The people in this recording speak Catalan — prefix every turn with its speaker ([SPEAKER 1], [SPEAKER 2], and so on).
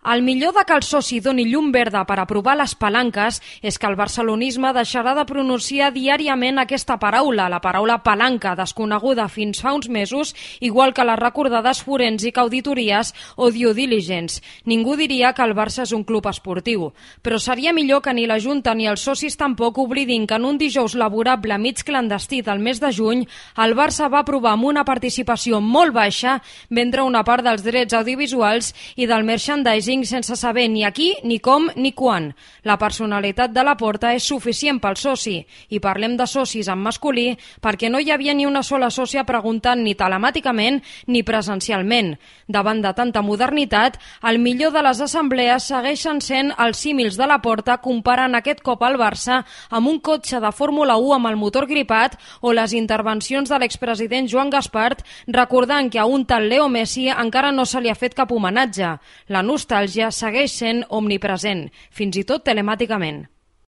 [SPEAKER 1] El millor de que el soci doni llum verda per aprovar les palanques és que el barcelonisme deixarà de pronunciar diàriament aquesta paraula, la paraula palanca, desconeguda fins fa uns mesos, igual que les recordades forènsic auditories o due diligence. Ningú diria que el Barça és un club esportiu, però seria millor que ni la Junta ni els socis tampoc oblidin que en un dijous laborable mig clandestí del mes de juny, el Barça va aprovar amb una participació molt baixa vendre una part dels drets audiovisuals i del merchandising sense saber ni a qui, ni com, ni quan. La personalitat de Laporta és suficient pel soci, i parlem de socis en masculí perquè no hi havia ni una sola sòcia preguntant ni telemàticament ni presencialment. Davant de tanta modernitat, el millor de les assemblees segueixen sent els símils de Laporta comparant aquest cop al Barça amb un cotxe de Fórmula 1 amb el motor gripat o les intervencions de l'expresident Joan Gaspart recordant que a un tal Leo Messi encara no se li ha fet cap homenatge. La nostàlgia segueix sent omnipresent, fins i tot telemàticament.